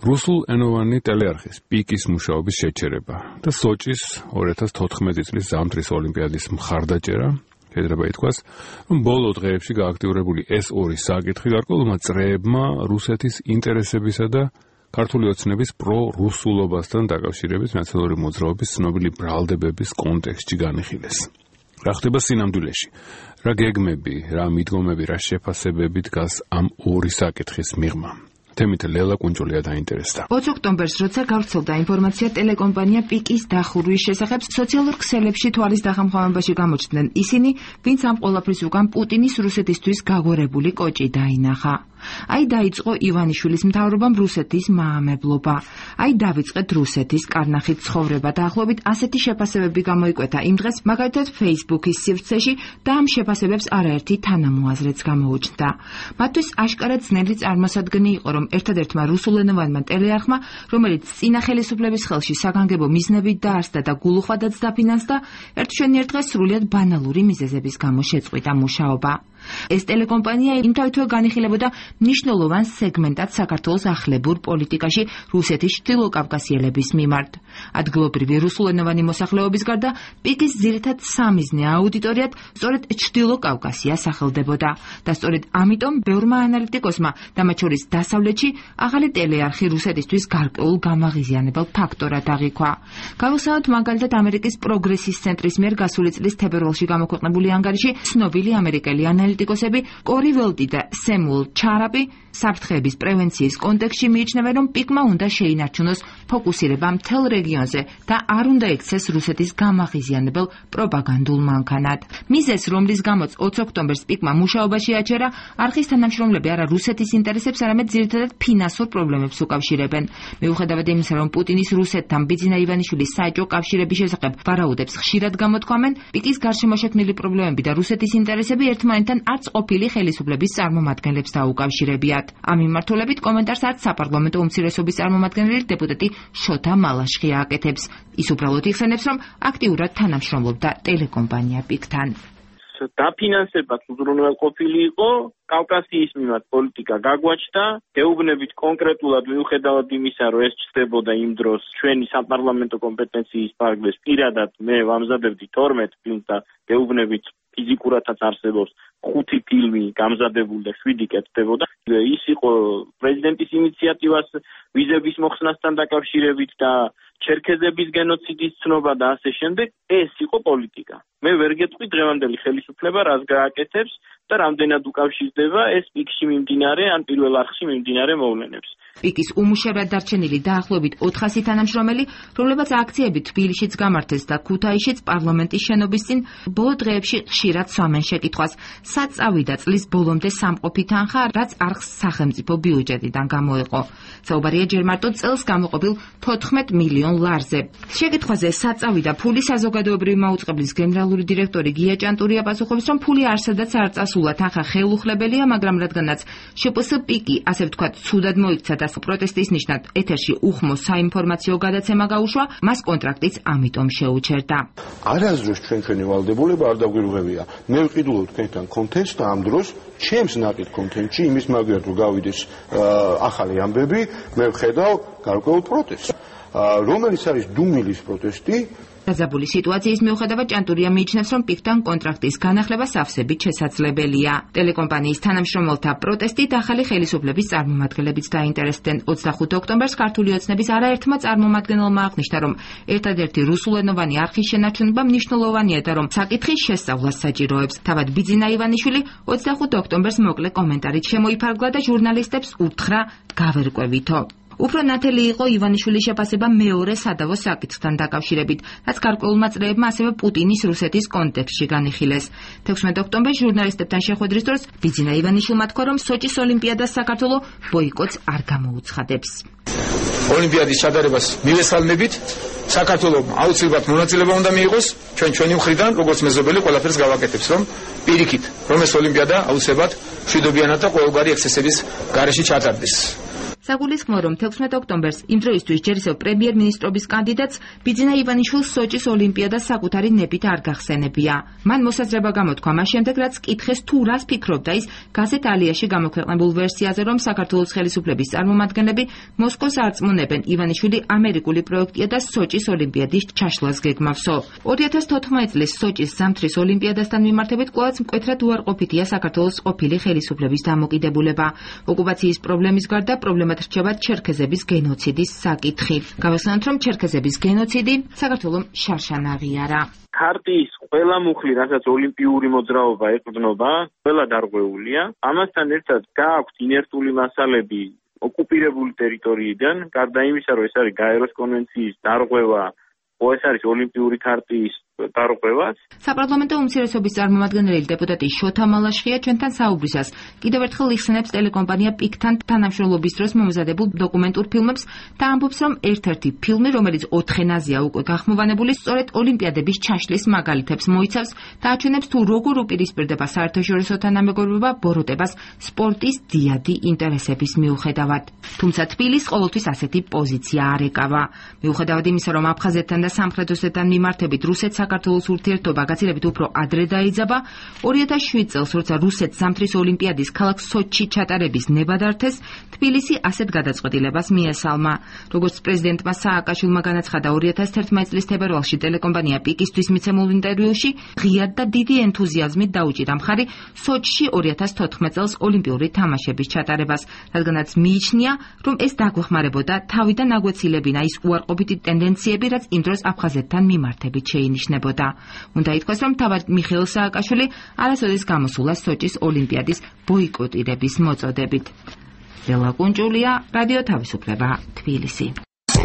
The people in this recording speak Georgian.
რუსულენოვანი ტელეარხის პიკის მუშაობის შეჩერება და სოჭის 2014 წლის ზამთრის ოლიმპიადის მხარდაჭერა შეიძლება ითქვას, რომ ბოლო დღეებში გააქტიურებული ეს ორი საკითხი გარკვეულმა წრეებმა რუსეთის ინტერესებისა და ქართული ოცნების პრო-რუსულობასთან დაკავშირებით ნაციონალური მოძრაობის ცნობილი ბრალდებების კონტექსტში განიხილეს. რა ხდება სინამდვილეში? რა გეგმები, რა მიდგომები, რა შეფასებები დგას ამ ორი საკითხის მიღმა? თემით ლელა კუნჯულია დაინტერესდა. 20 ოქტომბერს, როცა გავრცელდა ინფორმაცია ტელეკომპანია პიკის დახურვის შესახებ, სოციალურ ქსელებში თვალის დახამხამებაში გამოჩნდნენ ისინი, ვინც ამ ყველაფრის უკან პუტინის რუსეთისთვის გაგვერებული კოჭი დაინახა. აი დაიწყო ივანიშვილის მთავრობამ რუსეთის მაამებლობა. აი დავიწყეთ რუსეთის კარნახით ცხოვრება. დაახლოებით ასეთი შეფასებები გამოიკვეთა იმ დღეს, მაგალითად Facebook-ის სივრცეში და ამ შეფასებებს არაერთი თანამოაზრეც გამოუჩნდა. მათთვის აშკარად ძნელი წარმოსადგენი იყო, რომ ერთადერთმა რუსულენოვანმა ტელეარხმა, რომელიც წინა ხელისუფლების ხელში საგანგებო მიზნებით დაარსდა და გულუხვადაც დაფინანსდა, ერთშენიერ დღეს სრულიად ბანალური მიზეზების გამო შეწყვიტა მუშაობა. ეს ტელეკომპანია იმთავითვე განიხილებოდა მნიშვნელოვან სეგმენტად საქართველოს ახლებურ პოლიტიკაში რუსეთის ჩრდილოკავკასიელების მიმართ. ადგილობრივი რუსულენოვანი მოსახლეობის გარდა პიკის ძირითად სამიზნე აუდიტორიად სწორედ ჩრდილოკავკასია სახელდებოდა და სწორედ ამიტომ ბევრმა ანალიტიკოსმა და მათ შორის დასავლეთში ახალი ტელეარხი რუსეთისთვის გარკვეულ გამაღიზიანებელ ფაქტორად აღიქვა. გავიხსენოთ მაგალითად ამერიკის პროგრესის ცენტრის მიერ გასული წლის თებერვალში გამოქვეყნებული ანგარიში ცნობილი ამერიკელი ანალიტიკოსები კორი ველტი და სემუელ ჩარაპი საფრთხეების პრევენციის კონტექსტში მიიჩნევენ, რომ პიკმა უნდა შეინარჩუნოს ფოკუსირება მთელ რეგიონზე და არ უნდა ექცეს რუსეთის გამაღიზიანებელ პროპაგანდულ მანქანად. მიზეზ, რომლის გამოც 20 ოქტომბერს პიკმა მუშაობაში აჩერა, არხის თანამშრომლები არა რუსეთის ინტერესებს, არამედ ძირითადად ფინანსურ პრობლემებს უკავშირებენ. მიუხედავად იმისა, რომ პუტინის რუსეთთან ბიძინა ივანიშვილის საეჭვო კავშირების შესახებ ვარაუდებს ხშირად გამოთქვამენ, პიკის გარშემო შექმნილი პრობლემები და რუსეთის ინტერესები ერთმანეთთან არც ყოფილი ხელისუფლების წარმომადგენლებს დაუკავშირებიათ. ამ მიმართულებით კომენტარს არც საპარლამენტო უმცირესობის წარმომადგენელი დეპუტატი შოთა მალაშხი აკეთებს. ის უბრალოდ იხსენებს, რომ აქტიურად თანამშრომლობდა ტელეკომპანია პიკთან. დაფინანსებაც უზრუნველყოფილი იყო, კავკასიის მიმართ პოლიტიკა გაგვაჩნდა, გეუბნებით კონკრეტულად მიუხედავად იმისა, რომ ეს ჩნდებოდა იმ დროს ჩვენი საპარლამენტო კომპეტენციის ფარგლებს, პირადად მე ვამზადებდი 12 ფილმს და გეუბნებით ფიზიკურადაც არსებობს 5 ფილმი გამზადებული და 7 კეთდებოდა. ის იყო პრეზიდენტის ინიციატივას ვიზების მოხსნასთან დაკავშირებით და ჩერქეზების გენოციდის ცნობა და ასე შემდეგ. ეს იყო პოლიტიკა. მე ვერ გეტყვი დღევანდელი ხელისუფლება რას გააკეთებს და რამდენად უკავშირდება ეს პიკში მიმდინარე ან პირველ არხში მიმდინარე მოვლენებს. პიკის უმუშევრად დარჩენილი დაახლოებით 400 თანამშრომელი, რომლებაც აქციები თბილისშიც გამართეს და ქუთაისშიც პარლამენტის შენობის წინ, ბოლო დღეებში ხშირად სვამენ შეკითხვას, სად წავიდა წლის ბოლომდე სამყოფი თანხა, რაც არხს სახელმწიფო ბიუჯეტიდან გამოეყო. საუბარია ჯერ მარტო წელს გამოყოფილ 14 მილიონ ლარზე. შეკითხვაზე სად წავიდა ფული, საზოგადოებრივი მაუწყებლის გენერალური დირექტორი გია ჭანტურია პასუხობს, რომ ფული არსადაც არ წასულა, თანხა ხელუხლებელია, მაგრამ რადგანაც შპს პიკი, ასე ვთქვათ, ცუდად მოიქცა და პროტესტის ნიშნად ეთერში უხმო საინფორმაციო გადაცემა გაუშვა, მას კონტრაქტიც ამიტომ შეუჩერდა. არასდროს ჩვენი ვალდებულება არ დაგვირღვევია. მე ვყიდულობ თქვენთან კონტენტს და ამ დროს ჩემს ნაკით კონტენტში იმის მაგალითად რომ გავიდეს ახალი ამბები, მე ვხედავ გარკვეულ პროტესტს, რომელიც არის დუმილის პროტესტი. დაძაბული სიტუაციის მიუხედავად ჭანტურია მიიჩნევს, რომ პიკთან კონტრაქტის განახლება სავსებით შესაძლებელია. ტელეკომპანიის თანამშრომელთა პროტესტით ახალი ხელისუფლების წარმომადგენლებიც დაინტერესდნენ. 25 ოქტომბერს ქართული ოცნების არაერთმა წარმომადგენელმა აღნიშნა, რომ ერთადერთი რუსულენოვანი არხის შენარჩუნება მნიშვნელოვანია და რომ საკითხის შესწავლას საჭიროებს. თავად ბიძინა ივანიშვილი 25 ოქტომბერს მოკლე კომენტარით შემოიფარგლა და ჟურნალისტებს უთხრა გავერკვევითო. უფრო ნათელი იყო ივანიშვილის შეფასება მეორე სადავო საკითხთან დაკავშირებით, რაც გარკვეულმა წრეებმა ასევე პუტინის რუსეთის კონტექსტში განიხილეს. 16 ოქტომბერს ჟურნალისტებთან შეხვედრის დროს ბიძინა ივანიშვილმა თქვა, რომ სოჭის ოლიმპიადას საქართველო ბოიკოტს არ გამოუცხადებს. ოლიმპიადის ჩატარებას მივესალმებით, საქართველოს აუცილებლად მონაწილეობა უნდა მიიღოს, ჩვენი მხრიდან, როგორც მეზობელი ყველაფერს გავაკეთებს, რომ პირიქით, რომ ეს ოლიმპიადა აუცილებლად მშვიდობიანად და ყოველგვარი ექსცესების გარეშე ჩატარდეს. საგულისხმოა, რომ 16 ოქტომბერს იმ დროისთვის ჯერ ისევ პრემიერ-მინისტრობის კანდიდატს ბიძინა ივანიშვილს სოჭის ოლიმპიადას საკუთარი ნებით არ გახსენებია. მან მოსაზრება გამოთქვა მას შემდეგ, რაც კითხეს თუ რას ფიქრობდა ის გაზეთ ალიაში გამოქვეყნებულ ვერსიაზე, რომ საქართველოს ხელისუფლების წარმომადგენლები მოსკოვს არწმუნებენ ივანიშვილი ამერიკული პროექტია და სოჭის ოლიმპიადის ჩაშლას გეგმავსო. 2014 წლის სოჭის ზამთრის ოლიმპიადასთან მიმართებით კვლავაც მკვეთრად უარყოფითია საქართველოს ყოფილი ხელისუფლების დამოკიდებულება. ოკუპაციის პრობლემის გარდა პრობლემად რჩება ჩერქეზების გენოციდის საკითხი. გავახსენოთ, რომ ჩერქეზების გენოციდი საქართველომ შარშან აღიარა. ქარტიის ყველა მუხლი, რასაც ოლიმპიური მოძრაობა ეყრდნობა, ყველა დარღვეულია. ამასთან ერთად გააქვთ ინერტული მასალები ოკუპირებული ტერიტორიიდან, გარდა იმისა, რომ ეს არის გაეროს კონვენციის დარღვევა, ეს არის ოლიმპიური ქარტიის დარღვევაც. საპარლამენტო უმცირესობის წარმომადგენელი დეპუტატი შოთა მალაშხია ჩვენთან საუბრისას კიდევ ერთხელ იხსენებს ტელეკომპანია პიკთან თანამშრომლობის დროს მომზადებულ დოკუმენტურ ფილმებს და ამბობს, რომ ერთ-ერთი ფილმი, რომელიც 4 ენაზეა უკვე გახმოვანებული, სწორედ ოლიმპიადების ჩაშლის მაგალითებს მოიცავს და აჩვენებს თუ როგორ უპირისპირდება საერთაშორისო თანამეგობრობა ბოროტებას სპორტის დიადი ინტერესების მიუხედავად. თუმცა თბილისს ყოველთვის ასეთი პოზიცია არ ეკავა. მიუხედავად იმისა, რომ აფხაზეთთან და სამხრეთ ოსეთთან მიმართებით რუსეთს საქართველოს ურთიერთობა გაცილებით უფრო ადრე დაიძაბა, 2007 წელს, როცა რუსეთს ზამთრის ოლიმპიადის ქალაქ სოჩში ჩატარების ნება დართეს, თბილისი ასეთ გადაწყვეტილებას მიესალმა. როგორც პრეზიდენტმა სააკაშვილმა განაცხადა 2011 წლის თებერვალში ტელეკომპანია პიკისთვის მიცემულ ინტერვიუში, ღიად და დიდი ენთუზიაზმით დაუჭირა მხარი სოჩში 2014 წელს ოლიმპიური თამაშების ჩატარებას, რადგანაც მიიჩნია, რომ ეს დაგვეხმარებოდა თავიდან აგვეცილებინა ის უარყოფითი ტენდენციები, რაც იმ დროს აფხაზეთთან მიმართებით შეინიშნებოდა. უნდა ითქვას, რომ თავად მიხეილ სააკაშვილი არასოდეს გამოსულა სოჭის ოლიმპიადის ბოიკოტირების მოწოდებით. ლელა კუნჭულია, რადიო თავისუფლება, თბილისი.